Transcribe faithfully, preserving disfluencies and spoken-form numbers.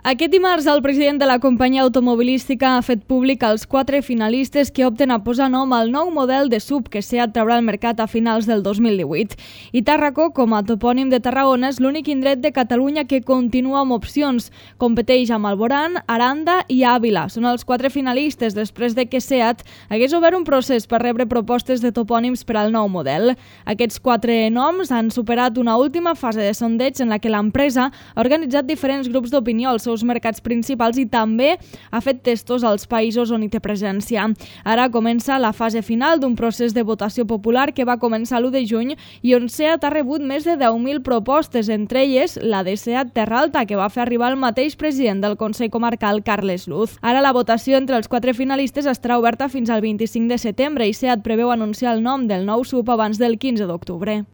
Aquest dimarts, el president de la companyia automobilística ha fet públic els quatre finalistes que opten a posar nom al nou model de S U V que SEAT traurà al mercat a finals del dos mil divuit. I Tàrraco, com a topònim de Tarragona, és l'únic indret de Catalunya que continua amb opcions. Competeix amb Alborán, Aranda i Àvila. Són els quatre finalistes després de que SEAT hagués obert un procés per rebre propostes de topònims per al nou model. Aquests quatre noms han superat una última fase de sondeig en la que l'empresa ha organitzat diferents grups d'opinió als seus mercats principals i també ha fet testos als països on hi té presència. Ara comença la fase final d'un procés de votació popular que va començar l'u de juny i on SEAT ha rebut més de deu mil propostes, entre elles la de SEAT Terra Alta, que va fer arribar el mateix president del Consell Comarcal, Carles Luz. Ara la votació entre els quatre finalistes estarà oberta fins al vint-i-cinc de setembre i SEAT preveu anunciar el nom del nou S U V abans del quinze d'octubre.